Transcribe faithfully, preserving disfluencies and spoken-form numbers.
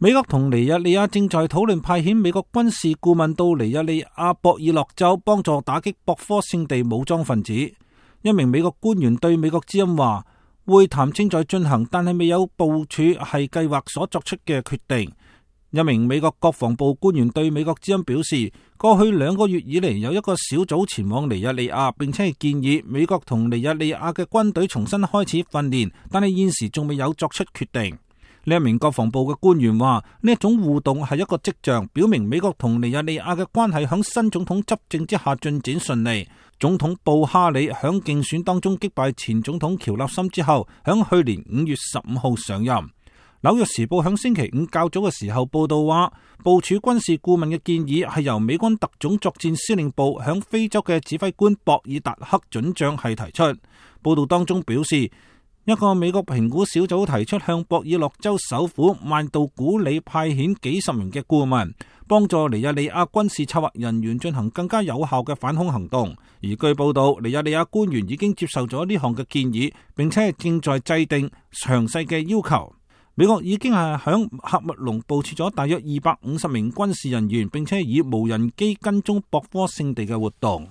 美國同尼日利亞正在討論派遣美國軍事顧問到尼日利亞博爾諾州幫助打擊博科聖地武裝分子。一名美國官員對美國之音話，會談正在進行，但係未有部署係計劃所作出嘅決定。一名美國國防部官員對美國之音表示，過去兩個月以嚟有一個小組前往尼日利亞，並且係建議美國同尼日利亞嘅軍隊重新開始訓練，但係現時仲未有作出決定。呢一名國防部嘅官員話，呢一種互動係一個跡象，表明美國同尼日利亞嘅關係響新總統執政之下進展順利。總統布哈里響競選當中擊敗前總統喬納森之後，響去年五月十五號上任。紐約時報響星期五較早嘅時候報道話，部署軍事顧問嘅建議係由美軍特種作戰司令部響非洲嘅指揮官博爾達克准將係提出。報道當中表示，一個美國評估小組提出向博爾諾州首府曼杜古里派遣幾十名嘅顧問，幫助尼日利亞軍事策劃人員進行更加有效嘅反恐行動。而據報道，尼日利亞官員已經接受咗呢項嘅建議，並且正在制定詳細嘅要求。美國已經係響喀麥隆部署咗大約二百五十名軍事人員，並且以無人機跟蹤博科聖地嘅活動。